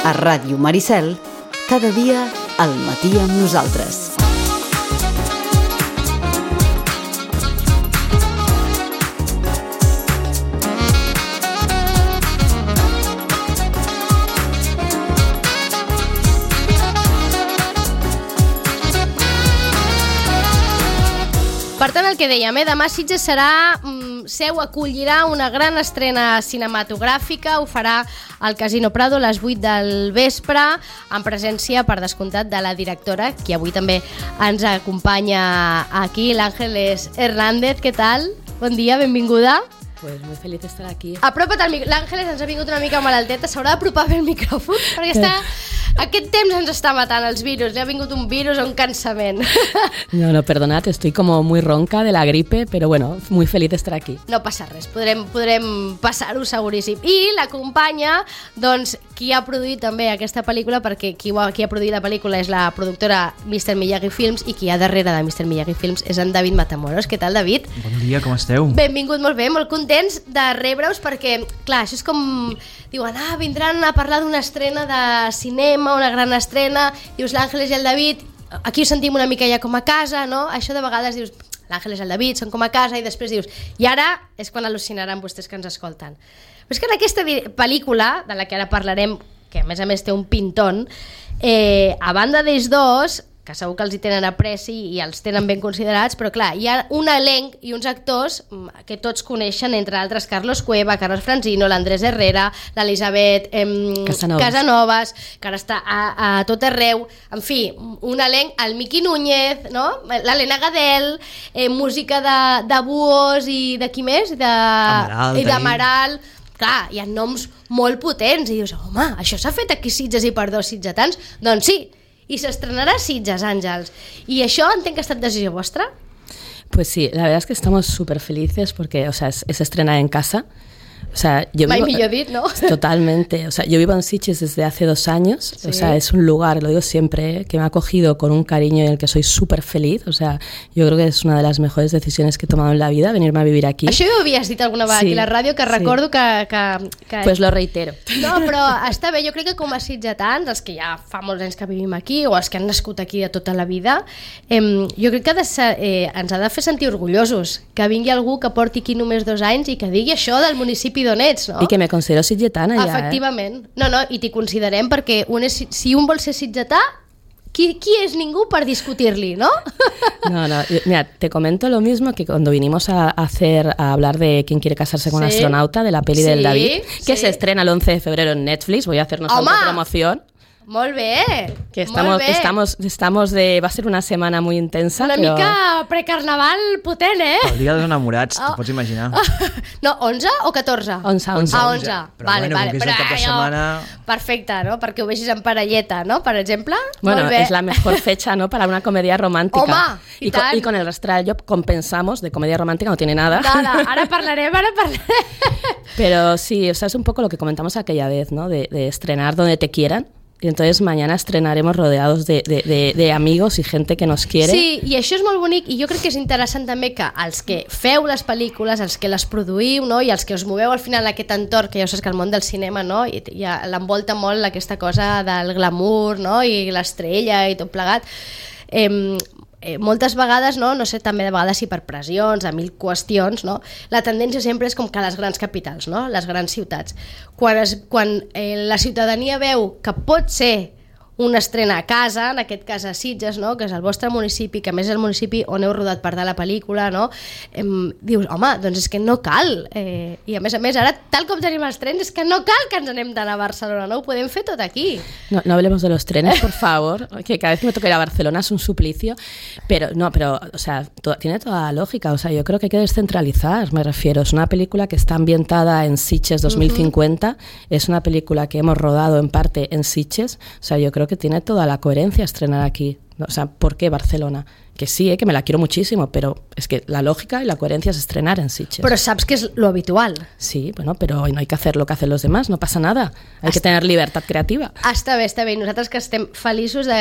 A Ràdio Maricel, cada dia al matí amb nosaltres. Per tant, el que dèiem, demà Sitges acollirà una gran estrena cinematogràfica, ho farà al Casino Prado a les 8 del vespre, en presència, per descomptat, de la directora, qui avui també ens acompanya aquí, l'Ángeles Hernández. Què tal? Bon dia, benvinguda. Pues muy feliz de estar aquí. Apropa't al micròfon. L'Ángeles ens ha vingut una mica malalteta, s'haurà d'apropar bé el micròfon, perquè aquest temps ens està matant els virus, li ha vingut un virus o un cansament. No, perdonad, estoy como muy ronca de la gripe, pero bueno, muy feliz de estar aquí. No passa res, podrem passar-ho seguríssim. I l'acompanya, doncs, qui ha produït també aquesta pel·lícula, perquè qui ha produït la pel·lícula és la productora Mr. Miyagi Films, i qui hi ha darrere de Mr. Miyagi Films és en David Matamoros. Què tal, David? Bon dia, com esteu? Benvingut, molt bé, molt contents de rebre-us, perquè, clar, això és com... Diuen, vindran a parlar d'una estrena de cinema, una gran estrena, dius l'Àngeles i el David, aquí ho sentim una mica ja com a casa, no? Això de vegades dius, l'Àngeles i el David són com a casa, i després dius, i ara és quan al·lucinaran vostès que ens escolten. Però és que en aquesta pel·lícula, de la que ara parlarem, que a més té un pintón, a banda d'ells dos, que segur que els hi tenen apreci i els tenen ben considerats, però clar, hi ha un elenc i uns actors que tots coneixen, entre altres Carlos Cueva, Carlos Franzino, l'Andrés Herrera, l'Elisabet Casanovas, que ara està a tot arreu, en fi, un elenc, el Miqui Núñez, no? L'Helena Gadel, música de Buos i de qui més? d'Amaral. Clar, hi ha noms molt potents i dius, home, això s'ha fet aquí Sitges i per dos sitgetans? Doncs sí, i s'estrenarà Sitges, Àngels. I això entenc que ha estat decisió vostra? Pues sí, la verdad es que estamos súper felices porque, o sea, es estrenar en casa. O sea, millor dit, ¿no? Totalmente. O sea, yo vivo en Sitges desde hace 2 años. Sí. O sea, es un lugar, lo digo siempre, que me ha acogido con un cariño en el que soy súper feliz. O sea, yo creo que es una de las mejores decisiones que he tomado en la vida, venirme a vivir aquí. Això ho havies dit alguna vegada aquí a la ràdio, que recordo que... Pues lo reitero. No, però està bé, jo crec que com a sitgetans, els que ja fa molts anys que vivim aquí, o els que han nascut aquí de tota la vida, jo crec que ens ha de fer sentir orgullosos que vingui algú que porti aquí només 2 anys i que digui això del municipi d'on ets, no? I que me considero sitgetana ja, Efectivament. No, i t'hi considerem perquè si un vol ser sitgetà, qui és ningú per discutir-li, no? No, mira, te comento lo mismo que cuando vinimos a hablar de Quién quiere casarse con un astronauta, de la peli del David, que se estrena el 11 de febrero en Netflix, voy a hacernos autopromoción. Molt bé, que estamos de... Va a ser una setmana muy intensa. Una mica precarnaval potent, El dia dels enamorats, t'ho pots imaginar. No, 11 o 14? 11. Però vale. Com que és el cap de setmana... Perfecte, no? Perquè ho vegis en parelleta, no? Per exemple. Bueno, es la mejor fecha, ¿no? Para una comedia romántica. Home, y con el Rastrallo compensamos de comedia romántica, no tiene nada. Ara parlarem. Pero sí, o sea, es un poco lo que comentamos aquella vez, ¿no? De estrenar donde te quieran. Y entonces mañana estrenaremos rodeados de amigos y gente que nos quiere. Sí, i això és molt bonic, i jo crec que és interessant també que els que feu les pel·lícules, els que les produïu, no? I els que us moveu al final aquest entorn, que ja saps que el món del cinema, no? I l'envolta molt aquesta cosa del glamour, no? I l'estrella i tot plegat. Moltes vegades, no sé, també de vegades si per pressions, a 1000 qüestions, no? La tendència sempre és com que les grans capitals, no? Les grans ciutats. Quan la ciutadania veu que pot ser una estrena a casa, en aquest cas a Sitges, no? Que és el vostre municipi, que a més és el municipi on heu rodat part de la pel·lícula, no? Dius, home, doncs és que no cal. I a més, ara, tal com tenim els trens, és que no cal que ens anem d'anar a Barcelona, no? Ho podem fer tot aquí. No hablemos de los trenes, por favor, que cada vez que me toca ir a Barcelona es un suplicio, pero, o sea, tiene toda la lógica, o sea, yo creo que hay que descentralizar, me refiero, es una película que está ambientada en Sitges 2050, es una película que hemos rodado en parte en Sitges, o sea, yo creo que tiene toda la coherencia estrenar aquí. O sea, ¿por qué Barcelona? Que sí, que me la quiero muchísimo, pero es que la lógica y la coherencia es estrenar en Sitges. Però saps que és lo habitual. Sí, bueno, pero no hay que hacer lo que hacen los demás, no pasa nada. Hay que tener libertad creativa. Està bé, està bé. I nosaltres que estem feliços de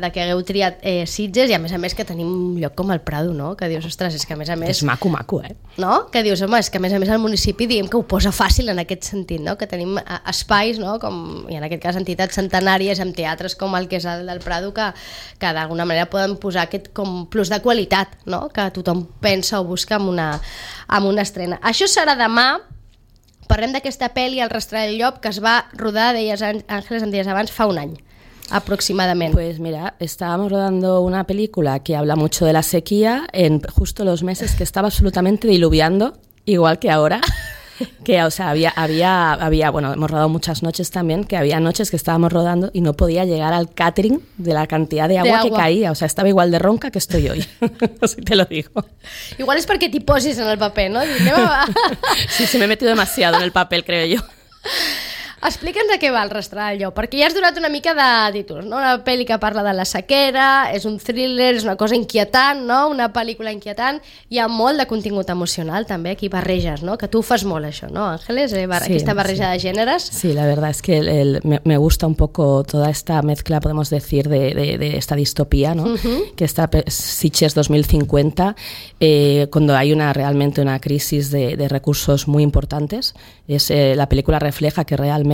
que hagueu triat Sitges, i a més que tenim un lloc com el Prado, no? Que dius, ostres, és que a més... És maco, No? Que dius, home, és que a més el municipi diguem que ho posa fàcil en aquest sentit, no? Que tenim espais, no? Com, i en aquest cas entitats centenàries amb teatres com el que és el del Prado que d'alguna manera poden posar aquest com plus de qualitat, no? Que tothom pensa o busca amb una estrena. Això serà demà. Parlem d'aquesta pel·li, El rastre del llop, que es va rodar, deies Ángeles, em deies abans, fa un any aproximadamente. Pues mira, estábamos rodando una película que habla mucho de la sequía en justo los meses que estaba absolutamente diluviando, igual que ahora. Que, o sea, había, bueno, hemos rodado muchas noches también, que había noches que estábamos rodando y no podía llegar al catering de la cantidad de agua que caía. O sea, estaba igual de ronca que estoy hoy, así te lo digo. Igual es perquè t'hi posis en el paper, no? Sí, me he metido demasiado en el papel, creo yo. Explica'ns de què va El rastre del llop, perquè ja has donat una mica de títols, no? Una pel·li que parla de la sequera, és un thriller, és una cosa inquietant, no? Una pel·lícula inquietant, hi ha molt de contingut emocional també, aquí barreges, no? Que tu ho fas molt això, ¿no, Ángeles? Aquesta barreja de géneros. Sí, la verdad es que me gusta un poco toda esta mezcla, podemos decir, de esta distopía, ¿no? Que está Sitges 2050, cuando hay realmente una crisis de recursos muy importantes. La película refleja que realmente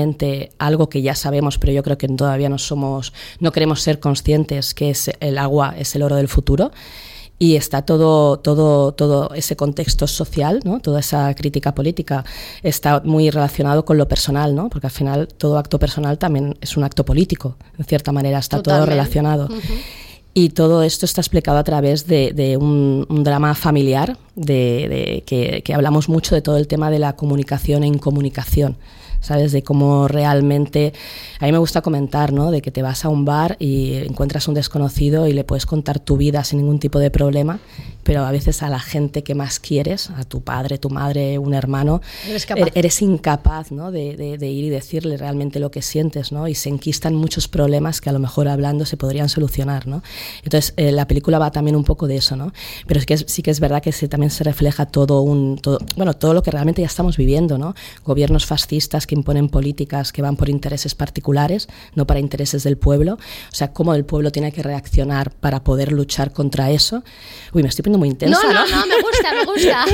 algo que ya sabemos, pero yo creo que todavía no queremos ser conscientes, que es el agua es el oro del futuro. Y está todo ese contexto social, ¿no? Toda esa crítica política está muy relacionado con lo personal, ¿no? Porque al final todo acto personal también es un acto político, en cierta manera, está todo relacionado. Y todo esto está explicado a través de un drama familiar, que hablamos mucho de todo el tema de la comunicación e incomunicación, ¿sabes? De cómo realmente, a mí me gusta comentar, ¿no? De que te vas a un bar y encuentras a un desconocido y le puedes contar tu vida sin ningún tipo de problema, pero a veces a la gente que más quieres, a tu padre, tu madre, un hermano, eres incapaz, ¿no? de ir y decirle realmente lo que sientes, ¿no? Y se enquistan muchos problemas que a lo mejor hablando se podrían solucionar, ¿no? Entonces la película va también un poco de eso, ¿no? Pero sí que es verdad que también se refleja todo lo que realmente ya estamos viviendo, ¿no? Gobiernos fascistas que imponen políticas que van por intereses particulares, no para intereses del pueblo. O sea, cómo el pueblo tiene que reaccionar para poder luchar contra eso. Uy, me estoy poniendo muy intensa, ¿no? No, me gusta.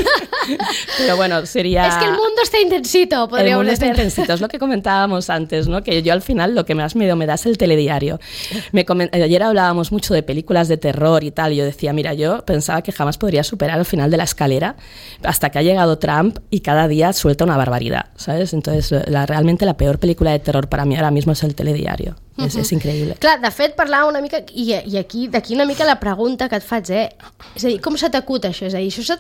Pero bueno, sería... Es que el mundo está intensito, podríamos decir. El mundo está intensito, es lo que comentábamos antes, ¿no? Que yo al final lo que más miedo me da es el telediario. Ayer hablábamos mucho de películas de terror y tal, y yo decía, mira, yo pensaba que jamás podría superar el final de La Escalera, hasta que ha llegado Trump y cada día suelta una barbaridad, ¿sabes? Entonces, realmente la peor película de terror para mí ahora mismo es el telediario. És increïble. Clar, de fet, parlàvem una mica, i aquí d'aquí una mica la pregunta que et faig, és a dir, com se t'acut això? És a dir, això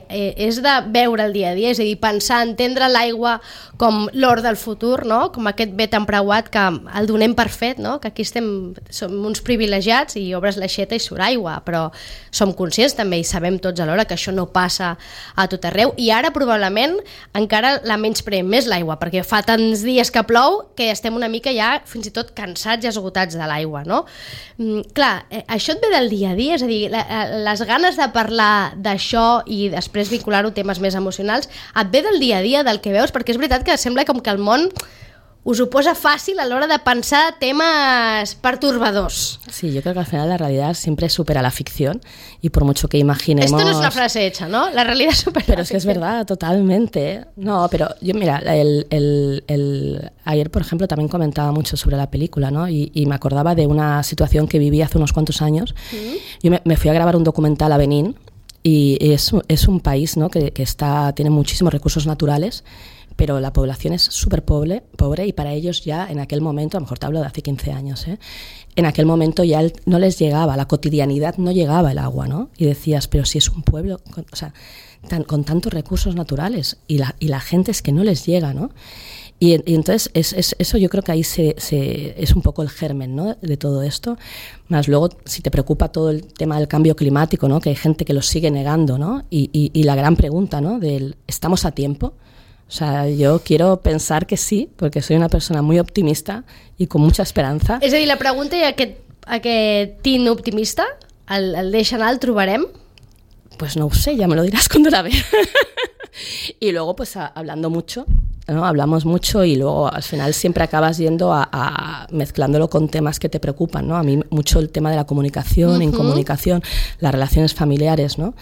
és de veure el dia a dia, és a dir, pensar, entendre l'aigua com l'or del futur, no? Com aquest bé tan preuat que el donem per fet, no? Que aquí som uns privilegiats i obres l'aixeta i surt aigua, però som conscients també i sabem tots alhora que això no passa a tot arreu, i ara probablement encara la menyspreem més l'aigua, perquè fa tants dies que plou que estem una mica ja fins i tot cansats i esgotats de l'aigua, no? Clar, això et ve del dia a dia, és a dir, les ganes de parlar d'això i després vincular-ho a temes més emocionals, et ve del dia a dia, del que veus, perquè és veritat que sembla com que el món us ho posa fácil a la hora de pensar temas perturbadors. Sí, yo creo que al final la realidad siempre supera la ficción y por mucho que imaginemos... Esto no es una frase hecha, ¿no? La realidad supera pero la es que es verdad, totalmente. No, pero yo, mira, ayer, por ejemplo, también comentaba mucho sobre la película, ¿no? Y me acordaba de una situación que viví hace unos cuantos años. Yo me fui a grabar un documental a Benín y es un país, ¿no? que tiene muchísimos recursos naturales, pero la población es súper pobre y para ellos ya en aquel momento, a lo mejor te hablo de hace 15 años, en aquel momento ya no les llegaba, la cotidianidad no llegaba el agua, ¿no? Y decías, pero si es un pueblo con tantos recursos naturales y la gente es que no les llega, ¿no? Y entonces eso yo creo que ahí es un poco el germen, ¿no? De todo esto. Más luego, si te preocupa todo el tema del cambio climático, ¿no? Que hay gente que lo sigue negando, ¿no? Y la gran pregunta, ¿no? ¿Estamos a tiempo? O sea, yo quiero pensar que sí, porque soy una persona muy optimista y con mucha esperanza. És a dir, la pregunta i aquest aquest teen optimista? El deixa anar, el trobarem? Pues no sé, ya me lo dirás cuando la vea. Y luego, pues hablando mucho, ¿no? Hablamos mucho y luego al final siempre acabas yendo a mezclándolo con temas que te preocupan, ¿no? A mí mucho el tema de la comunicación, incomunicación, las relaciones familiares, ¿no?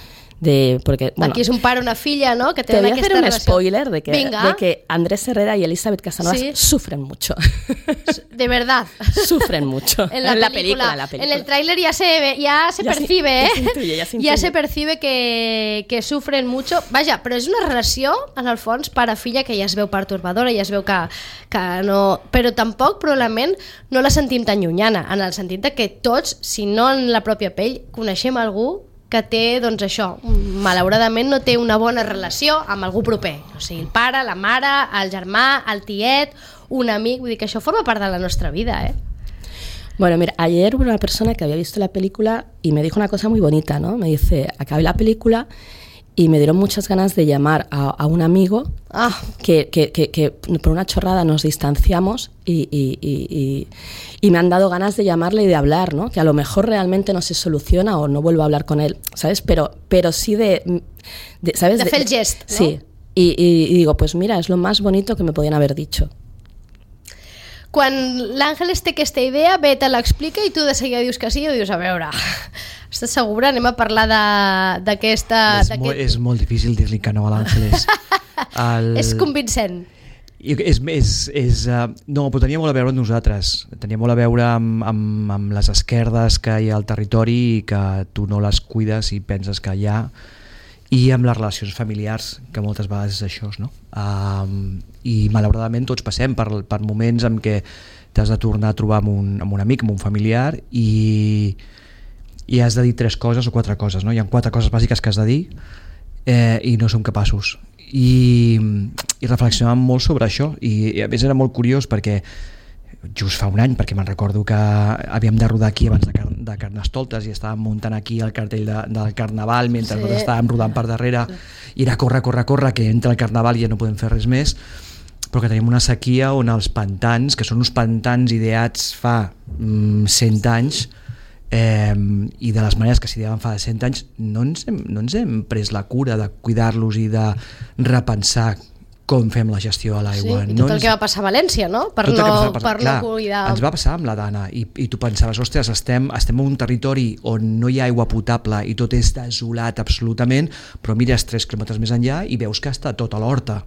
Porque, bueno, aquí es un pare, una filla, ¿no? Que te voy a hacer un relación. Spoiler de que Andrés Herrera y Elizabeth Casanovas sufren mucho. De verdad. Sufren mucho. En la película. En el tráiler ya se percibe, ya se percibe que sufren mucho. Vaja, però és una relació, en el fons, pare-filla, que ja es veu pertorbadora, ja es veu que no... Però tampoc, probablement, no la sentim tan llunyana, en el sentit de que tots, si no en la pròpia pell, coneixem algú que té, doncs això, malauradament no té una bona relació amb algú proper. O sigui, el pare, la mare, el germà, el tiet, un amic, vull dir que això forma part de la nostra vida, ¿eh? Bueno, mira, ayer hubo una persona que había visto la película y me dijo una cosa muy bonita, ¿no? Me dice, acabé la película y me dieron muchas ganas de llamar a un amigo que por una chorrada nos distanciamos y me han dado ganas de llamarle y de hablar, ¿no? Que a lo mejor realmente no se soluciona o no vuelvo a hablar con él, ¿sabes? Pero sí ¿sabes? De fer el gest, ¿no? Sí, y digo, pues mira, es lo más bonito que me podían haber dicho. Quan l'Àngeles té aquesta idea, ve, te l'explica i tu de seguida dius que sí o dius, a veure, estàs segura? Anem a parlar d'aquesta... És molt difícil dir-li que no a l'Àngeles. És convincent. No, però tenia molt a veure amb nosaltres. Tenia molt a veure amb les esquerdes que hi ha al territori i que tu no les cuides i penses que hi ha, i amb les relacions familiars, que moltes vegades és això, no? I malauradament tots passem per moments en què t'has de tornar a trobar amb un amic, amb un familiar, i has de dir 3 coses o 4 coses, no? Hi ha 4 coses bàsiques que has de dir i no som capaços. I reflexionàvem molt sobre això, i a més era molt curiós perquè just fa un any, perquè me'n recordo que havíem de rodar aquí abans de Carnestoltes i estàvem muntant aquí el cartell del Carnaval mentre nosaltres estàvem rodant per darrere i era corre, que entra el Carnaval i ja no podem fer res més, però que tenim una sequia on els pantans, que són uns pantans ideats fa 100 anys i de les maneres que s'ideaven fa 100 anys, no ens hem pres la cura de cuidar-los i de repensar com fem la gestió a l'aigua. Sí, i tot el que va passar a València, no? Per no cuidar... Ens va passar amb la Dana i tu pensaves, ostres, estem en un territori on no hi ha aigua potable i tot és desolat absolutament, però mires 3 quilòmetres més enllà i veus que està tot a l'horta.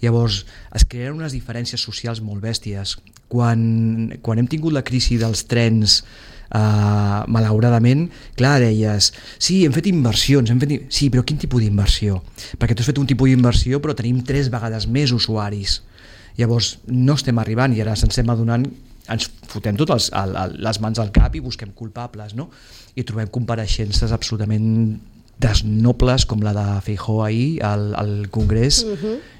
Llavors es creen unes diferències socials molt bèsties. Quan hem tingut la crisi dels trens, malauradament, clar, deies, sí, hem fet inversions, sí, però quin tipus d'inversió? Perquè tu has fet un tipus d'inversió però tenim 3 vegades més usuaris. Llavors no estem arribant i ara ens estem adonant, ens fotem totes les mans al cap i busquem culpables, no? I trobem compareixences absolutament desnobles com la de Feijóo ahir al Congrés,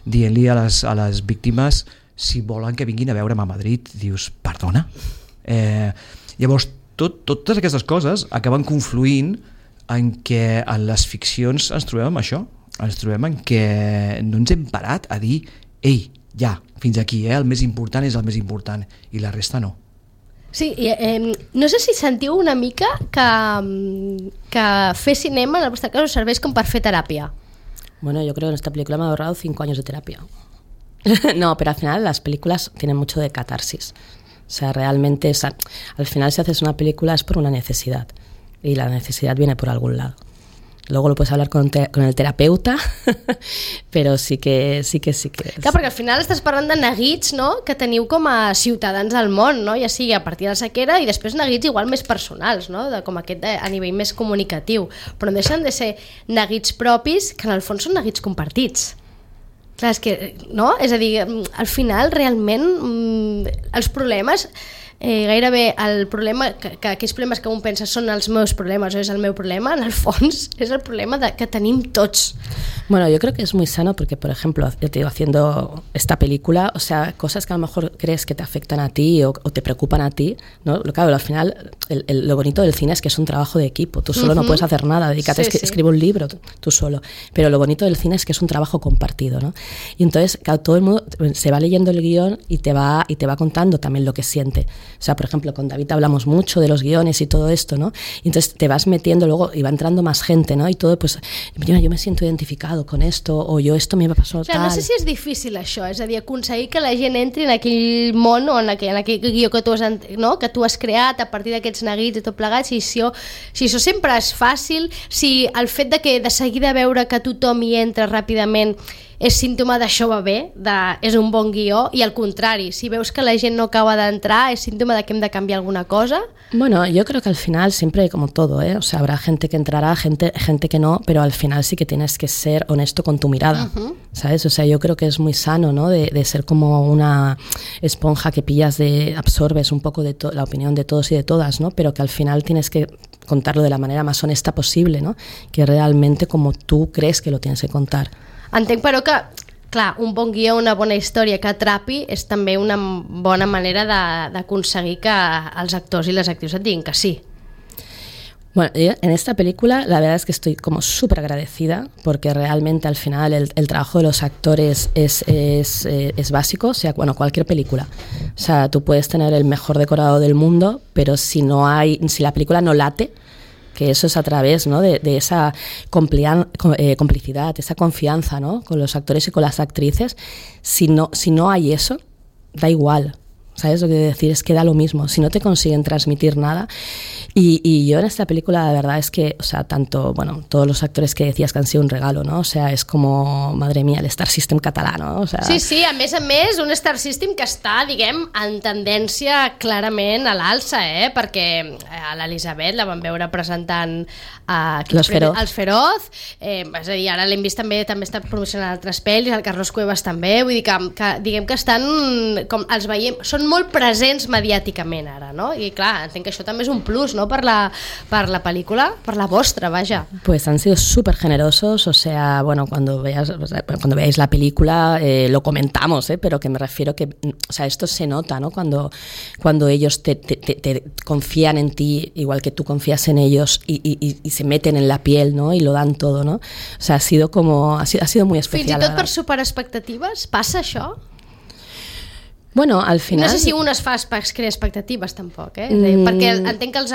dient-li a les víctimes si volen que vinguin a veure'm a Madrid. Dius, perdona? Llavors totes aquestes coses acaben confluint en què en les ficcions ens trobem amb això, ens trobem en què no ens hem parat a dir ei, ja, fins aquí, el més important és el més important i la resta no. Sí, no sé si sentiu una mica que fer cinema en el vostre cas us serveix com per fer teràpia. Bueno, yo creo que en esta película me ha ahorrado 5 años de terapia. No, pero al final las películas tienen mucho de catarsis. O sea, realmente, al final si haces una película es por una necesidad y la necesidad viene por algún lado. Luego lo puedes hablar con el terapeuta, però sí que... Clar, perquè al final estàs parlant de neguits, no?, que teniu com a ciutadans del món, no?, ja sigui a partir de la sequera i després neguits igual més personals, no?, de com aquest a nivell més comunicatiu, però no deixen de ser neguits propis que en el fons són neguits compartits. Clar, és que, no?, és a dir, al final realment els problemes... gairebé el problema, que aquells problemes que un pensa són els meus problemes o és el meu problema, en el fons és el problema que tenim tots. Bueno, yo creo que es muy sano porque, por ejemplo, yo te digo, haciendo esta película, o sea, cosas que a lo mejor crees que te afectan a ti o te preocupan a ti, ¿no? Claro, al final, lo bonito del cine es que es un trabajo de equipo, tú solo no puedes hacer nada, dedícate a escribir un libro tú solo, pero lo bonito del cine es que es un trabajo compartido, ¿no? Y entonces, claro, todo el mundo se va leyendo el guión y te va contando también lo que siente. O sea, por ejemplo, con David hablamos mucho de los guiones y todo esto, ¿no? Y entonces te vas metiendo luego y va entrando más gente, ¿no? Y todo, pues, yo me siento identificado con esto, o yo esto me pasó tal. No sé si és difícil això, és a dir, aconseguir que la gent entri en aquell món o en aquell guió que tu has creat a partir d'aquests neguits i tot plegat, si això sempre és fàcil, si el fet de seguida veure que tothom hi entra ràpidament és símptoma d'això va bé, és un bon guió, i al contrari, si veus que la gent no acaba d'entrar, és símptoma de que hem de canviar alguna cosa? Bueno, yo creo que al final siempre como todo, o sea, habrá gente que entrará, gente que no, pero al final sí que tienes que ser honesto con tu mirada, ¿sabes? O sea, yo creo que es muy sano, ¿no? De ser como una esponja que absorbes un poco de la opinión de todos y de todas, ¿no? Pero que al final tienes que contarlo de la manera más honesta posible, ¿no? Que realmente como tú crees que lo tienes que contar. Entenc, però, que clar, un bon guió, una bona història que atrapi és també una bona manera d'aconseguir que els actors i les actrius et diguin que sí. Bueno, yo en esta película la verdad es que estoy como súper agradecida porque realmente al final el trabajo de los actores es básico, o sea, bueno, cualquier película. O sea, tú puedes tener el mejor decorado del mundo, pero si la película no late, que eso es a través, ¿no? de esa complicidad, esa confianza, ¿no? Con los actores y con las actrices. Si no hay eso, da igual, ¿sabes? Lo que quiero decir es que da lo mismo. Si no te consiguen transmitir nada. Y yo en esta película, la verdad es que, o sea, tanto, bueno, todos los actores que decías que han sido un regalo, ¿no? O sea, es como, madre mía, el Star System català, ¿no? O sea... Sí, a més, un Star System que està, diguem, en tendència clarament a l'alça, perquè a l'Elisabet la vam veure presentant els Feroz, és a dir, ara l'hem vist també està promocionant altres pel·lis, el Carlos Cuevas també, vull dir que diguem que estan, com els veiem, són molt presents mediàticament ara, no? I clar, entenc que això també és un plus, ¿no? Per la película, per la vostra, vaya. Pues han sido súper generosos, o sea, bueno, cuando veáis la película lo comentamos, pero que me refiero que, o sea, esto se nota, ¿no? Cuando ellos te confían en ti, igual que tú confías en ellos y se meten en la piel, ¿no? Y lo dan todo, ¿no? O sea, ha sido muy especial. Fins i tot per superar expectatives, passa això? Bueno, al final... No sé si un es crea expectatives, tampoc, perquè entenc que els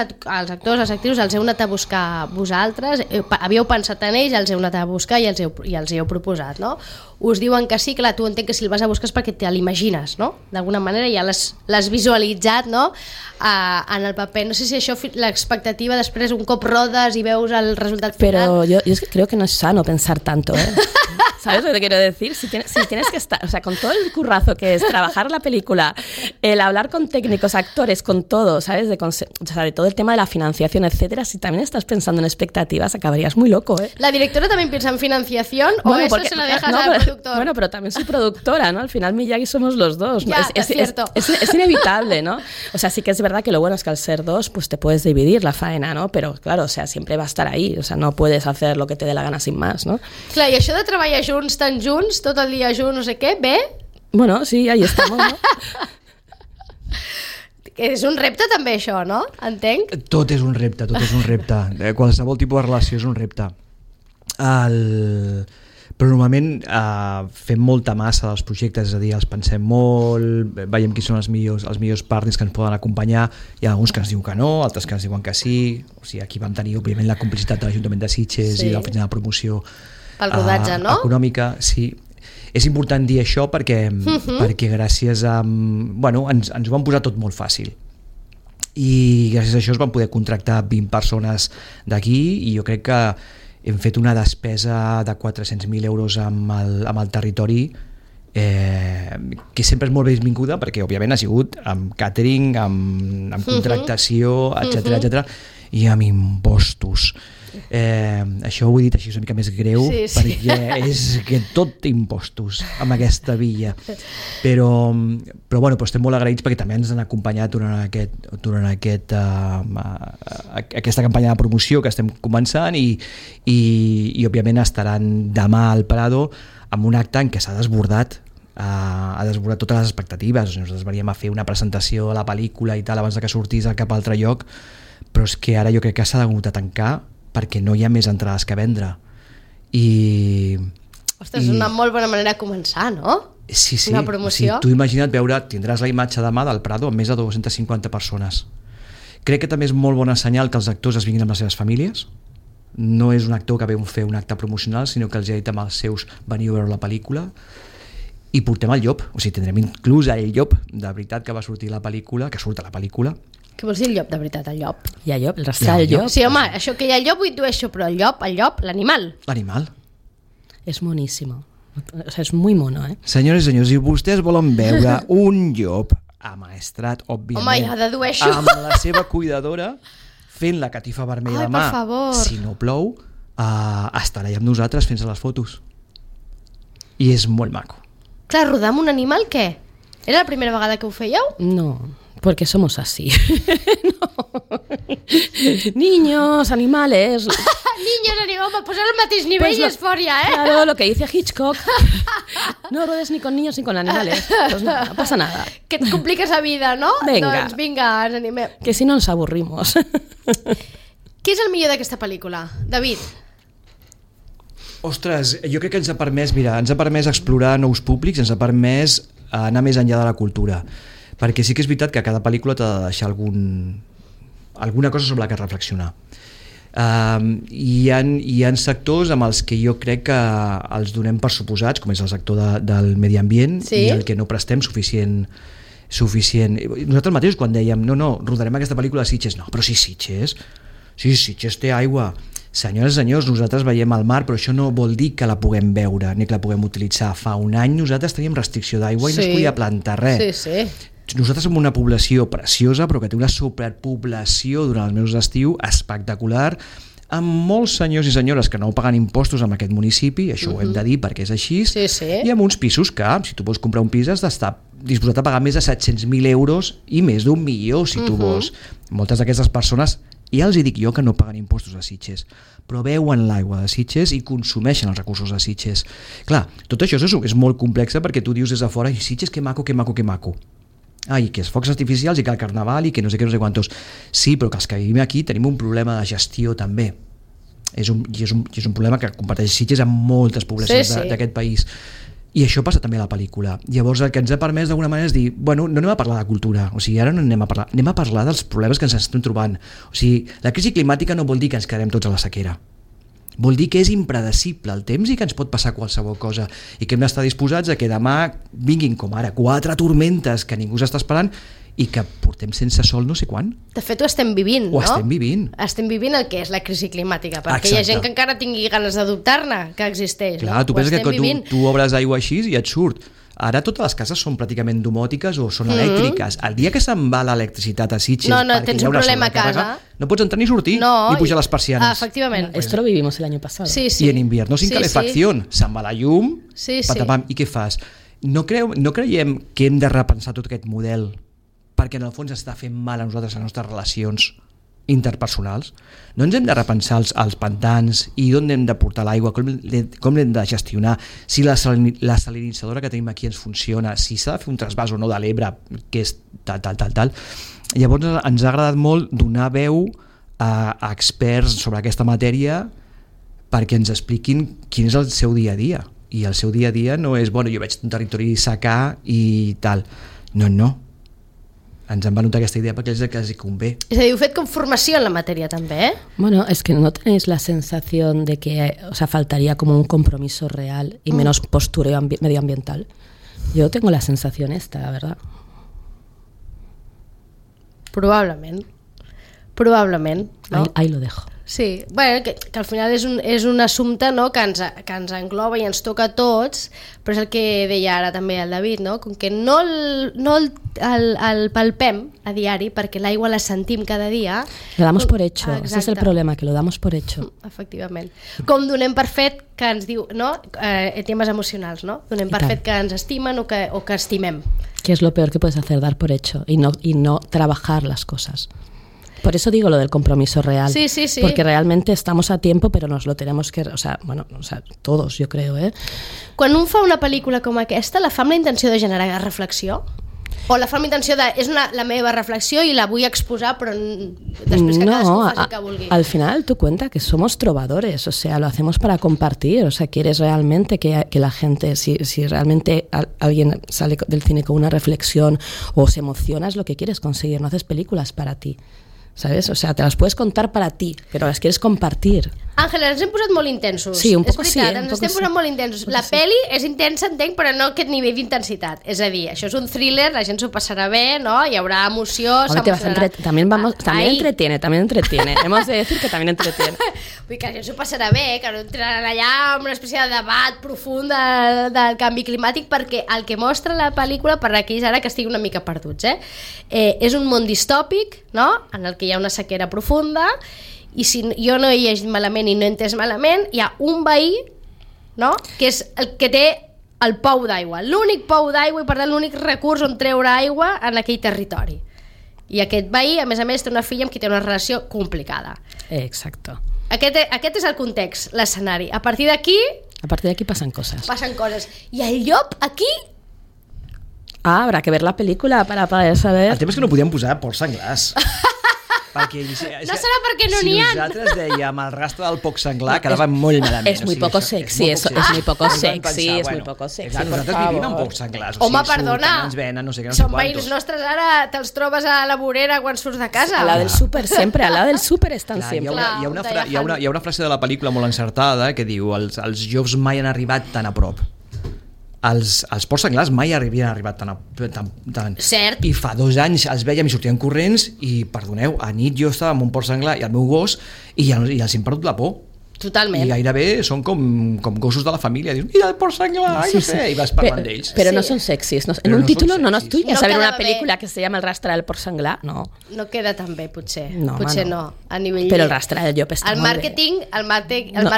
actors, les actrius, els heu anat a buscar vosaltres, havíeu pensat en ells, els heu anat a buscar i els heu proposat, no? Us diuen que sí, clar, tu entenc que si el vas a buscar és perquè te l'imagines, no? D'alguna manera ja l'has visualitzat, no? En el paper. No sé si això, l'expectativa, després un cop rodes i veus el resultat final... Pero yo creo que no es sano pensar tanto, ¿Sabes lo que te quiero decir? Si tienes que estar, o sea, con todo el currazo que es trabajar la película, el hablar con técnicos, actores, con todo, ¿sabes? De todo el tema de la financiación, etcétera. Si también estás pensando en expectativas, acabarías muy loco, ¿La directora también piensa en financiación o eso se la dejas al productor? Bueno, pero también soy productora, ¿no? Al final Miyagi somos los dos, ¿no? Ya, es cierto. Es inevitable, ¿no? O sea, sí que es verdad que lo bueno es que al ser dos, pues te puedes dividir la faena, ¿no? Pero claro, o sea, siempre va a estar ahí, o sea, no puedes hacer lo que te dé la gana sin más, ¿no? Clar, i això de treballar junts, tan junts, tot el dia junts, no sé què, bé? Bueno, sí, ahí estamos, ¿no? És un repte també això, no? Entenc? Tot és un repte. Qualsevol tipus de relació és un repte. Però normalment fem molta massa dels projectes, és a dir, els pensem molt, veiem qui són els millors partners que ens poden acompanyar, hi ha alguns que ens diuen que no, altres que ens diuen que sí, o sigui, aquí vam tenir òbviament la complicitat de l'Ajuntament de Sitges i de l'Oficina de Promoció pel rodatge, no? Econòmica, sí. És important dir això perquè gràcies a... Bueno, ens ho van posar tot molt fàcil. I gràcies a això es van poder contractar 20 persones d'aquí i jo crec que hem fet una despesa de 400.000 euros amb el territori que sempre és molt benvinguda perquè òbviament ha sigut amb catering, amb contractació, etcètera, i amb impostos. Això ho he dit així una mica més greu, perquè és que tot té impostos amb aquesta villa, però bueno, estem molt agraïts perquè també ens han acompanyat durant aquesta campanya de promoció que estem començant i òbviament estaran demà al Prado amb un acte en què s'ha desbordat totes les expectatives. Nosaltres veníem a fer una presentació a la pel·lícula i tal abans que sortís a cap altre lloc, però és que ara jo crec que s'ha hagut de tancar perquè no hi ha més entrades que vendre. Ostres, és una molt bona manera de començar, no? Sí, una promoció. O sigui, tu imagina't veure, tindràs la imatge demà del Prado amb més de 250 persones. Crec que també és molt bon senyal que els actors es vinguin amb les seves famílies. No és un actor que ve a fer un acte promocional, sinó que els ha dit amb els seus veniu a veure la pel·lícula. I portem el llop, o sigui, tindrem inclús el llop de veritat que va sortir a la pel·lícula, que surt a la pel·lícula. Què vols dir el llop, de veritat, el llop? Hi ha llop, el rastrear el llop. Sí, home, això que hi ha el llop ho intueixo, però el llop, l'animal. L'animal. És moníssimo. O sea, és muy mono, eh? Senyores i senyors, si vostès volen veure un llop amaestrat, òbviament, home, ja dedueixo. amb la seva cuidadora, fent la catifa vermella Ai, de mà, per favor. si no plou, estarà allà amb nosaltres fent-se les fotos. I és molt maco. Clar, rodar amb un animal, què? Era la primera vegada que ho fèieu? No, porque somos así. No. Niños, animales. Niños, home, posar al mateix nivell Pues és fort ja, eh? Claro, lo que dice Hitchcock. No ruedes ni con niños ni con animales. Pues no pasa nada. Que et compliques la vida, no? Vinga. Doncs vinga, ens animem. Que si no nos aburrimos. Què és el millor d'aquesta pel·lícula? David? Ostres, jo crec que ens ha permès, ens ha permès explorar nous públics, ens ha permès anar més enllà de la cultura, perquè sí que és veritat que cada pel·lícula t'ha de deixar alguna cosa sobre la que reflexionar. Hi ha sectors amb els que jo crec que els donem per suposats, com és el sector del medi ambient, sí? I el que no prestem suficient. Nosaltres mateixos quan dèiem no, rodarem aquesta pel·lícula a Sitges, no, però Sitges té aigua. Senyores i senyors, nosaltres veiem el mar, però això no vol dir que la puguem veure ni que la puguem utilitzar. Fa un any nosaltres teníem restricció d'aigua i no es podia plantar res. Sí. Nosaltres som una població preciosa, però que té una superpoblació durant els mesos d'estiu espectacular, amb molts senyors i senyores que no paguen impostos en aquest municipi, això ho hem de dir perquè és així, i amb uns pisos que, si tu vols comprar un pis, has d'estar disposat a pagar més de 700.000 euros i més d'1 milió, si tu vols. Moltes d'aquestes persones, ja els dic jo que no paguen impostos a Sitges, però veuen l'aigua de Sitges i consumeixen els recursos de Sitges. Clar, tot això és molt complex perquè tu dius des de fora, i Sitges que maco. I que els focs artificials i que el carnaval i que no sé quantos. Sí, però que els que vivim aquí tenim un problema de gestió també. És un problema que comparteix Sitges amb moltes poblacions d'aquest país. I això passa també a la pel·lícula. Llavors el que ens ha permès d'alguna manera és dir, bueno, no anem a parlar de cultura, o sigui, ara no anem a parlar dels problemes que ens estem trobant. O sigui, la crisi climàtica no vol dir que ens quedem tots a la sequera. Vol dir que és impredecible el temps i que ens pot passar qualsevol cosa i que hem d'estar disposats a que demà vinguin com ara 4 tormentes que ningú s'està esperant i que portem sense sol no sé quan. De fet, ho estem vivint, no? Estem vivint. Estem vivint el que és la crisi climàtica, perquè hi ha gent que encara tingui ganes d'adoptar-ne, que existeix. Clar, tu penses que tu obres aigua així i et surt. Ara totes les cases són pràcticament domòtiques o són elèctriques. El dia que se'n va l'electricitat a Sitges tens un problema a casa, no pots entrar ni sortir, ni pujar les persianes. Efectivament. Esto lo vivimos el año pasado. Sí. Y en invierno sin calefacción. Se'n va la llum, patapam, i què fas? No creiem que hem de repensar tot aquest model perquè en el fons està fent mal a nosaltres, a les nostres relacions interpersonals? No ens hem de repensar els pantans i d'on hem de portar l'aigua, com l'hem de gestionar, si la salinitzadora que tenim aquí ens funciona, si s'ha de fer un trasbàs o no de l'Ebre, que és tal. Llavors ens ha agradat molt donar veu a experts sobre aquesta matèria perquè ens expliquin quin és el seu dia a dia. I el seu dia a dia no és, bueno, jo veig un territori secà i tal. No. Ens han venut aquesta idea perquè és el que els convé. És a dir, heu fet com formació en la matèria també, eh? Bueno, es que no tenéis la sensación de que faltaría como un compromiso real y menos postureo medioambiental. Yo tengo la sensación esta, la verdad. Probablement, no? Ahí lo dejo. Sí, bueno, que al final és un assumpte, no?, que ens engloba i ens toca a tots, però és el que deia ara també el David, no?, com que no el palpem a diari perquè l'aigua la sentim cada dia. Lo damos por hecho, ese es el problema, que lo damos por hecho. Efectivament. Com donem per fet que ens diu, no?, temes emocionals, no?, donem per fet que ens estimen o que estimem. Que es lo peor que puedes hacer, dar por hecho y no trabajar las cosas. Por eso digo lo del compromiso real. Sí. Porque realmente estamos a tiempo, pero nos lo tenemos que... todos, yo creo, ¿eh? Quan un fa una pel·lícula com aquesta, la fa amb la intenció de generar reflexió? O la fa amb intenció de... És la meva reflexió i la vull exposar, però després que cadascú faci el que vulgui. Al final tú cuenta que somos trovadores, o sea, lo hacemos para compartir, o sea, quieres realmente que la gente, si realmente alguien sale del cine con una reflexión o se emociona, es lo que quieres conseguir, no haces películas para ti, ¿sabes? O sea, te las puedes contar para ti, pero las quieres compartir. Àngela, ens hem posat molt intensos. Sí, un poc és sí. Ens estem posant molt intensos. La peli és intensa, entenc, però no aquest nivell d'intensitat. És a dir, això és un thriller, la gent s'ho passarà bé, ¿no? Hi haurà emoció, s'emocionarà. También entretiene. Hemos de decir que también entretiene. Vull dir que la gent s'ho passarà bé, que no entraran allà amb una espècie de debat profund del canvi climàtic, perquè el que mostra la pel·lícula, per aquells ara que estiguin una mica perduts, és un món distòpic, no?, en el que hi ha una sequera profunda, i si jo no he llegit malament i no he entès malament, hi ha un veí, no?, que és el que té el pou d'aigua, l'únic pou d'aigua i per tant l'únic recurs on treure aigua en aquell territori. I aquest veí, a més, té una filla amb qui té una relació complicada. Exacto. Aquest és el context, l'escenari. A partir d'aquí pasan cosas. I el llop aquí... Habrá que ver la película para poder saber. El tema és que no podíem posar porcs senglars. Perquè, no serà perquè no n'hi ha. Si nosaltres dèiem el rastre del porc senglar, quedava molt malament. És muy poco sexy, és muy poco sexy. Exacte, nosaltres vivim amb porcs senglars. Home, perdona, són veïns quantos. nostres ara, te'ls trobes a la vorera quan surts de casa. Al lado del súper, sempre, al lado del súper estan sempre. Hi ha una frase de la pel·lícula molt encertada que diu els llops mai han arribat tan a prop. Els porcs senglars mai havien arribat tan... Cert. I fa 2 anys els vèiem i sortien corrents i, perdoneu, a nit jo estava amb un porc senglar i el meu gos i els hem perdut la por. Totalment. I gairebé són com gossos de la família. Dius, mira el porc senglar, no sé, i vas parlant d'ells. Pero no son sexys. En un título no nos tuyas a ver una película que se llama El rastre del porc senglar, no. No queda tan bé, potser. Potser no. A nivell... Però el rastre del llop està molt bé. El màrqueting no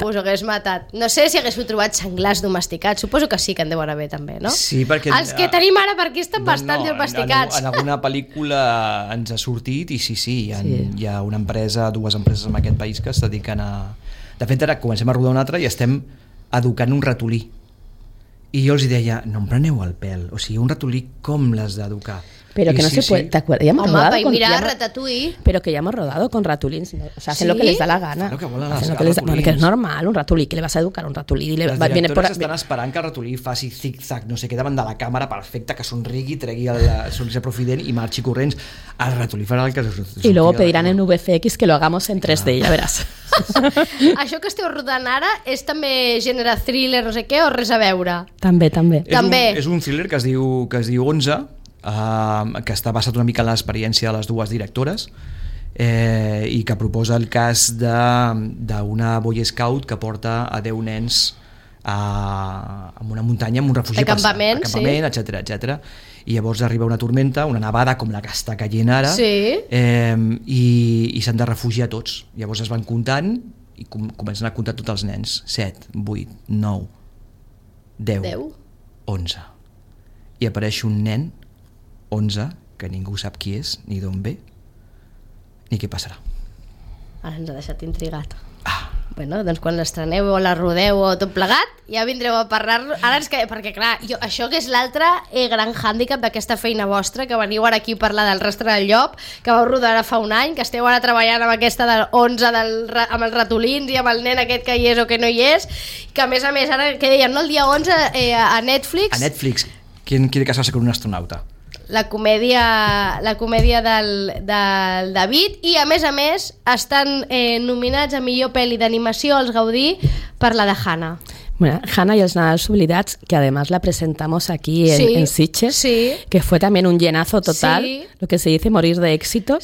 us hagués matat. No sé si haguéssiu trobat senglars domesticats. Suposo que sí que en deuen haver també, no? Sí, perquè... Els que tenim ara per aquí estan bastant domesticats. En alguna pel·lícula ens ha sortit i sí, hi ha una empresa, 2 empreses en aquest país que es dediquen a... De fet, ara comencem a rodar una altra i estem educant un ratolí. I jo els deia, no em preneu el pèl. O sigui, un ratolí com l'has d'educar? Pero que no se puede, ¿te acuerdas? Mira Ratatouille. Pero que ya hemos rodado con ratulins, ¿no? O sea, hacen lo que les da la gana. Claro que es normal, un ratolí, que le vas a educar a un ratolí. Les directores estan esperant que el ratolí faci zig-zag, no sé què, davant de la càmera perfecta, que somrigui, tregui el sonrisa profident i marxi corrents. El ratolí farà el que... Y luego pedirán en VFX que lo hagamos en 3D, ya verás. Això que esteu rodant ara és també gènere thriller, no sé què, o res a veure? També. És un thriller que es diu 11, que està basat una mica en l'experiència de les 2 directores i que proposa el cas d'una Boy Scout que porta a 10 nens a una muntanya, amb un refugi acampament, etc. I llavors arriba una tormenta, una nevada com la que està caient ara, i s'han de refugiar tots. Llavors es van comptant i comencen a comptar tots els nens: 7, 8, 9, 10, 11. I apareix un nen 11, que ningú sap qui és, ni d'on ve, ni què passarà. Ara ens ha deixat intrigat. Bueno, doncs quan l'estreneu o la rodeu o tot plegat, ja vindreu a parlar. Ara perquè clar, això que és l'altre gran hàndicap d'aquesta feina vostra, que veniu ara aquí a parlar del rastre del llop, que vau rodar ara fa un any, que esteu ara treballant amb aquesta del 11 amb els ratolins i amb el nen aquest que hi és o que no hi és, que a més, ara, que deien, no? El dia 11 a Netflix... A Netflix. ¿Quién quiere casarse con un astronauta? La comèdia del David, i a més estan nominats a millor pel·li d'animació als Gaudí per la de Hannah. Bueno, Hannah y los Nadals Oblidados, que además la presentamos aquí en Sitges, que fue también un llenazo total, lo que se dice morir de éxito.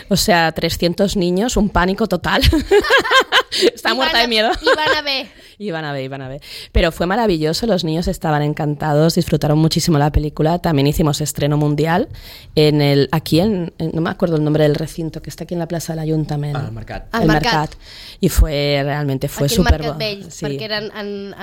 O sea, 300 niños, un pánico total. Está muerta de miedo. Iban a ver. Pero fue maravilloso, los niños estaban encantados, disfrutaron muchísimo la película. También hicimos estreno mundial aquí en no me acuerdo el nombre del recinto, que está aquí en la plaza del Ayuntamiento. El Mercat. Y realmente fue súper bueno. Porque eran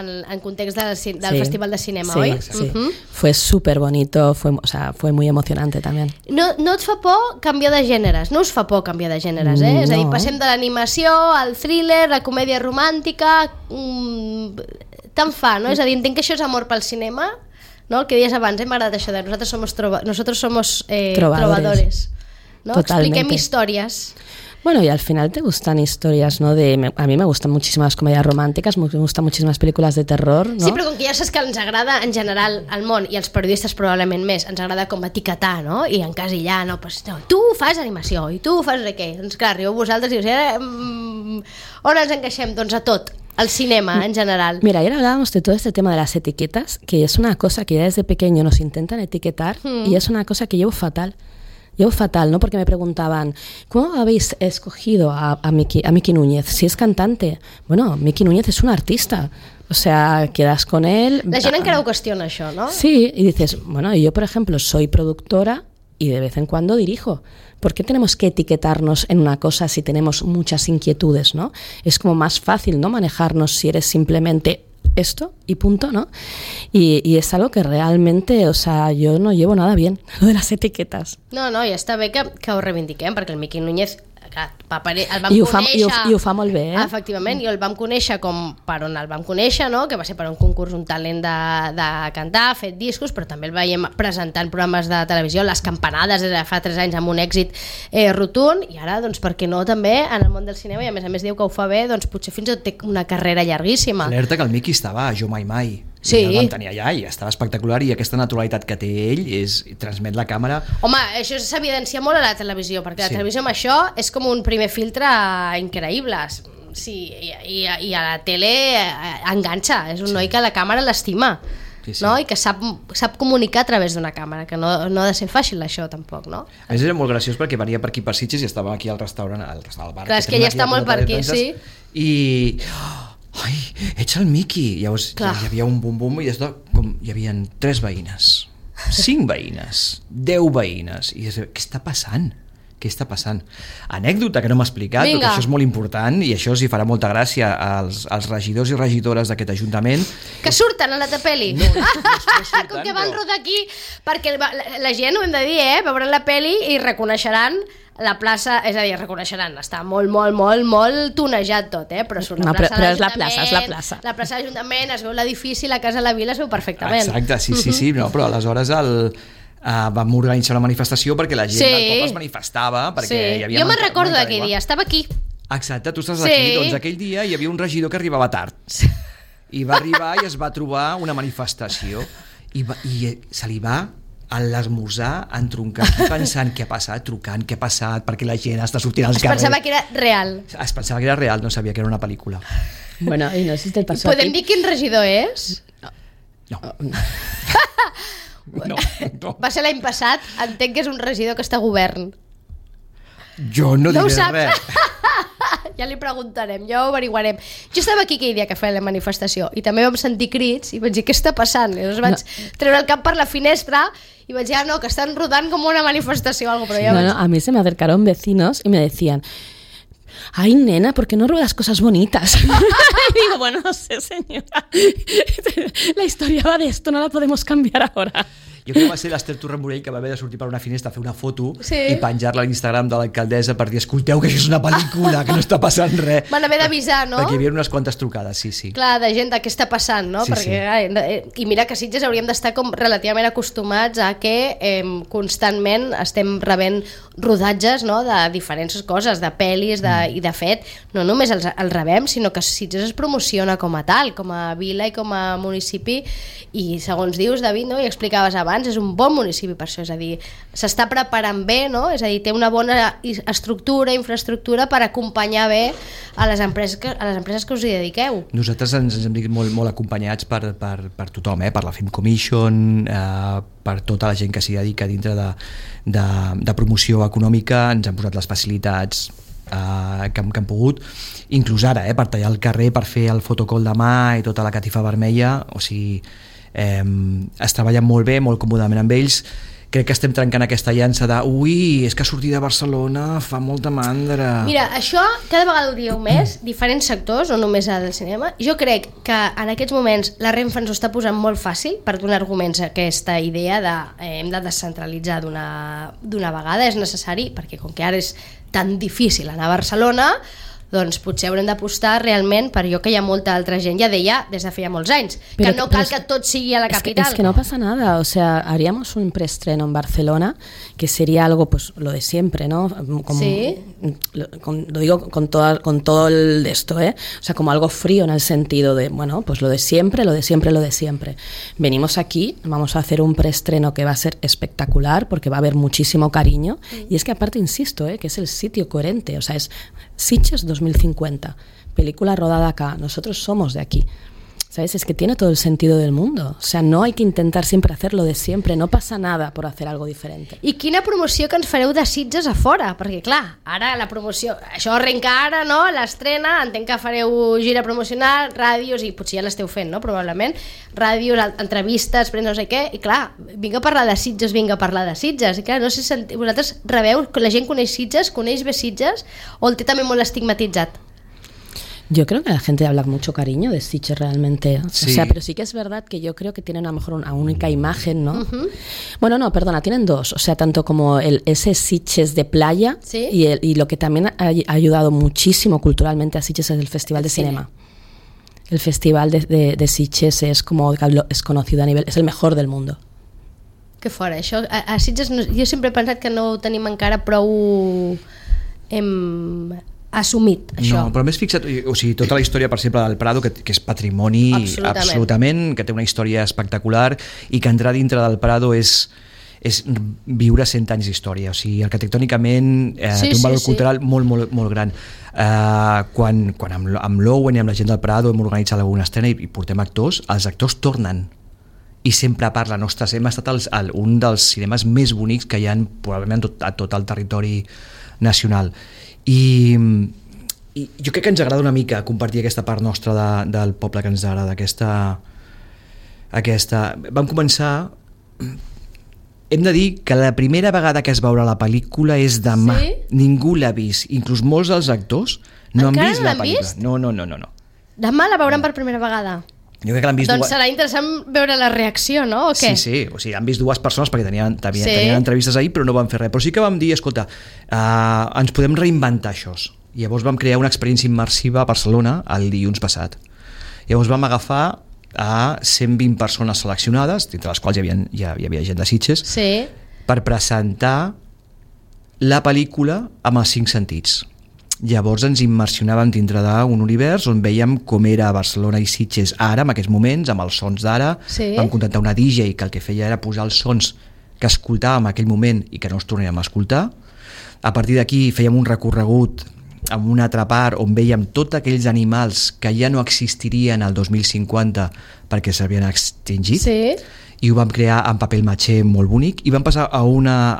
en context del Festival de Cinema, ¿oi? Sí. Fue súper bonito, fue muy emocionante también. No et fa por canviar de gèneres, no us fa por canviar de gèneres, eh? No. És a dir, passem de l'animació al thriller, la comèdia romàntica, tant fa, no? És a dir, entenc que això és amor pel cinema, no? El que deies abans, m'ha agradat això de nosotros somos Trovadores. ¿no? Totalmente. Expliquem històries. Bueno, y al final te gustan historias, ¿no? A mí me gustan muchísimas comedias románticas, me gustan muchísimas películas de terror, ¿no? Sí, però com que ja saps que ens agrada en general al món, i els periodistes probablement més, ens agrada com etiquetar, no? I encasillar, no? Pues, no, tu fas animació i tu fas no sé què. Doncs clar, arribeu vosaltres i dius, on ens encaixem? Doncs a tot, al cinema en general. Mira, ayer hablábamos de todo este tema de las etiquetas, que es una cosa que ya desde pequeño nos intentan etiquetar y es una cosa que llevo fatal. Llevo fatal, ¿no? Porque me preguntaban, ¿cómo habéis escogido a Miki Núñez? Si es cantante. Bueno, Miki Núñez es un artista. O sea, quedas con él... La gent encara ho qüestiona, això, ¿no? Sí, y dices, bueno, yo, por ejemplo, soy productora y de vez en cuando dirijo. ¿Por qué tenemos que etiquetarnos en una cosa si tenemos muchas inquietudes, ¿no? Es como más fácil, ¿no? Manejarnos si eres simplemente esto y punto, ¿no? Y es algo que realmente, o sea, yo no llevo nada bien, lo de las etiquetas. No, i està bé que ho reivindiquem, perquè el Miki Núñez, clar, el vam I ho conèixer... fa molt bé, eh? Efectivament, i el vam conèixer com per on el vam conèixer, no? Que va ser per un concurs, un talent de cantar, fet discos, però també el veiem presentant programes de televisió, Les Campanades, des de fa 3 anys, amb un èxit rotund, i ara, doncs, per què no, també, en el món del cinema, i a més diu que ho fa bé, doncs potser fins i tot té una carrera llarguíssima. Alerta que el Miki estava a Jo Mai Mai. Sí. I el vam tenir allà i estava espectacular, i aquesta naturalitat que té ell transmet la càmera. Home, això s'evidencia molt a la televisió, perquè la televisió amb això és com un primer filtre increïble. Sí, i a la tele enganxa, és un noi que la càmera l'estima. Sí. No? I que sap comunicar a través d'una càmera, que no ha de ser fàcil això tampoc, no? A més era molt graciós perquè venia per aquí per Sitges i estàvem aquí al restaurant, al bar. Clar, és que ja està molt per aquí, sí. I... ai, ets el Miki. Llavors hi havia un bum-bum i hi havia 3 veïnes, 5 veïnes, 10 veïnes, i què està passant? Què està passant? Anècdota que no m'ha explicat, perquè això és molt important i això els hi farà molta gràcia als regidors i regidores d'aquest ajuntament. Que surten a la pel·li. No surten, com que van rodar aquí, perquè la gent, ho hem de dir, veuran la pel·li i reconeixeran la plaça, és a dir, reconeixeran, està molt tonejat tot, però surt la plaça de l'Ajuntament, és la plaça. La plaça de l'Ajuntament, es veu l'edifici, la Casa de la Vila es veu perfectament. Exacte, sí, no, però aleshores vam organitzar una manifestació perquè la gent del poble es manifestava, perquè hi havia... Jo me'n recordo d'aquell dia, estava aquí. Exacte, tu estàs aquí, doncs aquell dia hi havia un regidor que arribava tard i va arribar i es va trobar una manifestació i se li va a l'esmorzar entroncat pensant què ha passat, trucant què ha passat, perquè la gent està sortint als carrers. Es pensava que era real. Es pensava que era real, no sabia que era una pel·lícula. Bueno, i no sé si te pasó a ti. Podem dir quin regidor és? No. Va ser l'any passat, entenc que és un regidor que està a govern. Jo no diré res. Ja li preguntarem, ja ho averiguarem. Jo estava aquí aquell dia que feia la manifestació i també vam sentir crits i vaig dir, què està passant? I llavors vaig treure el cap per la finestra y vaig dir, no, que están rodando como una manifestación o algo, pero ya no, a mí se me acercaron vecinos y me decían, ay, nena, ¿por qué no ruedas cosas bonitas? Y digo, bueno, no sé, señora, la historia va de esto, no la podemos cambiar ahora. Jo crec que va ser l'Ester Torremorell que va haver de sortir per una finestra a fer una foto i penjar-la a l'Instagram de l'alcaldessa per dir, escolteu que això és una pel·lícula, que no està passant res. Van haver d'avisar, no? Perquè hi havia unes quantes trucades, sí. Clar, de gent de què està passant, no? I mira que a Sitges hauríem d'estar com relativament acostumats a que constantment estem rebent rodatges, no?, de diferents coses, de pel·lis i de fet, no només els rebem, sinó que Sitges es promociona com a tal, com a vila i com a municipi, i segons dius, David, no?, i explicaves abans, és un bon municipi per això, és a dir, s'està preparant bé, no? És a dir, té una bona estructura, infraestructura per acompanyar bé a les empreses que us hi dediqueu. Nosaltres ens hem dit molt acompanyats per tothom, per la Film Commission, per tota la gent que s'hi dedica dintre de promoció econòmica, ens han posat les facilitats que han pogut, inclús ara, per tallar el carrer, per fer el fotocall de mà i tota la catifa vermella, o sigui, es treballa molt bé, molt còmodament amb ells. Crec que estem trencant aquesta llança de ui, és que sortir de Barcelona fa molta mandra. Mira, això cada vegada ho dieu més, diferents sectors, no només del cinema. Jo crec que en aquests moments la Renfe ens ho està posant molt fàcil per donar arguments a aquesta idea de hem de descentralitzar d'una vegada, és necessari, perquè com que ara és tan difícil anar a Barcelona, doncs potser haurem d'apostar realment per allò que hi ha molta altra gent ja deia des de feia molts anys, que no cal que tot sigui a la capital. Es que no pasa nada, o sea, haríamos un preestreno en Barcelona que sería algo, pues, lo de siempre, ¿no? Como, sí. Lo digo con todo el de esto, ¿eh? O sea, como algo frío en el sentido de, bueno, pues lo de siempre, lo de siempre, lo de siempre. Venimos aquí, vamos a hacer un preestreno que va a ser espectacular porque va a haber muchísimo cariño y es que aparte, insisto, que es el sitio coherente, o sea, es Sitges 2050, película rodada acá, nosotros somos de aquí, ¿sabes? Es que tiene todo el sentido del mundo, o sea, no hay que intentar siempre hacer lo de siempre, no pasa nada por hacer algo diferente. I quina promoció que ens fareu de Sitges a fora? Perquè clar, ara la promoció, això arrenca ara, no? L'estrena, entenc que fareu gira promocional, ràdios, i potser ja l'esteu fent, no? Probablement, ràdios, entrevistes, no sé què, i clar, vinga a parlar de Sitges, vinga a parlar de Sitges, i clar, no sé si vosaltres rebeu, que la gent coneix Sitges, coneix bé Sitges, o el té també molt estigmatitzat? Yo creo que la gente habla con mucho cariño de Sitges realmente, sí. O sea, pero sí que es verdad que yo creo que tienen a lo mejor una única imagen, ¿no? Bueno, no, perdona, tienen dos, o sea, tanto como ese Sitges de playa, ¿sí? y lo que también ha ayudado muchísimo culturalmente a Sitges es el Festival de Cinema. El Festival de Sitges es conocido a nivel, es el mejor del mundo. Que fora, això, a Sitges jo sempre he pensat que no ho tenim encara prou assumit, això. No, però més fixa't, o sigui, tota la història, per exemple, del Prado, que és patrimoni absolutament, que té una història espectacular i que entrar dintre del Prado és viure 100 anys d'història, o sigui, arquitectònicament té un valor cultural molt, molt, molt gran. Quan amb l'Owen i amb la gent del Prado hem organitzat alguna estrena i portem actors, els actors tornen i sempre parlen, ostres, hem estat un dels cinemes més bonics que hi ha probablement a tot el territori nacional. I jo crec que ens agrada una mica compartir aquesta part nostra del poble que ens agrada, vam començar, hem de dir que la primera vegada que es veurà la pel·lícula és demà, sí? Ningú l'ha vist, inclús molts dels actors no han vist la pel·lícula. No. Demà la veuran per primera vegada. Jo crec que l'han vist doncs serà interessant veure la reacció, no? O què? Sí, o sigui, han vist dues persones perquè tenien entrevistes ahir però no van fer res, però sí que vam dir, escolta, ens podem reinventar això. Llavors vam crear una experiència immersiva a Barcelona el dilluns passat. Llavors vam agafar a 120 persones seleccionades, entre les quals hi havia gent de Sitges, sí, per presentar la pel·lícula amb els 5 sentits. Llavors ens immersionàvem dintre d'un univers on veiem com era Barcelona i Sitges ara, en aquests moments, amb els sons d'ara. Sí. Vam contractar una DJ que el que feia era posar els sons que escoltàvem en aquell moment i que no els tornàvem a escoltar. A partir d'aquí fèiem un recorregut amb una altra part on veiem tots aquells animals que ja no existirien al 2050 perquè s'havien extingit, sí, i ho vam crear en paper maché molt bonic i vam passar a una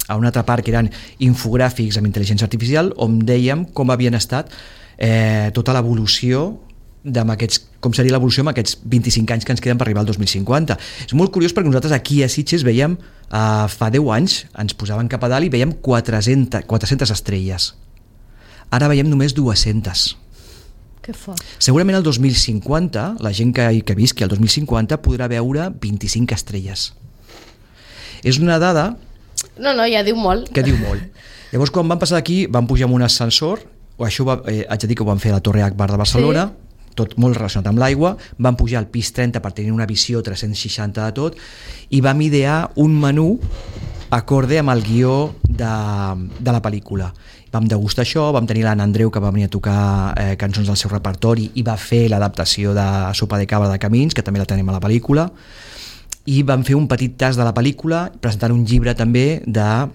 altra part que eren infogràfics amb intel·ligència artificial on dèiem com havien estat tota l'evolució com seria l'evolució amb aquests 25 anys que ens queden per arribar al 2050. És molt curiós perquè nosaltres aquí a Sitges veiem fa 10 anys ens posaven cap a dalt i veiem 400 estrelles. Ara veiem només 200. Que fort. Segurament el 2050 la gent que visqui al 2050 podrà veure 25 estrelles. És una dada no, ja diu molt. Que diu molt. Llavors, quan vam passar d'aquí, vam pujar amb un ascensor, això haig de dir que ho vam fer a la Torre Akbar de Barcelona, sí, tot molt relacionat amb l'aigua, vam pujar al pis 30 per tenir una visió 360 de tot, i vam idear un menú acorde amb el guió de la pel·lícula. Vam degustar això, vam tenir l'Anna Andreu que va venir a tocar cançons del seu repertori i va fer l'adaptació de Sopa de cabra de Camins, que també la tenim a la pel·lícula, i vam fer un petit tas de la pel·lícula presentant un llibre també de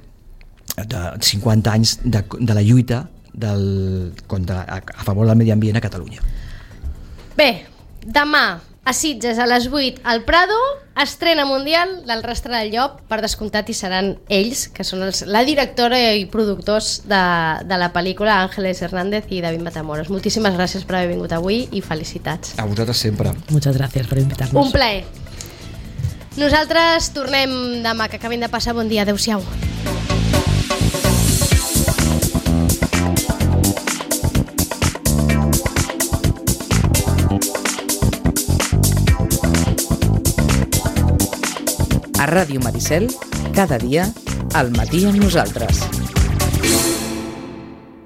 50 anys de la lluita a favor del medi ambient a Catalunya. Bé, demà a Sitges a les 8 al Prado, estrena mundial del Rastre del Llop, per descomptat hi seran ells, que són la directora i productors de la pel·lícula, Ángeles Hernández i David Matamoros. Moltíssimes gràcies per haver vingut avui i felicitats. A vosaltres sempre. Muchas gracias por invitarnos. Un plaer. Nosaltres tornem demà, que acabin de passar bon dia. Adéu-siau. A Ràdio Maricel, cada dia, al matí amb nosaltres.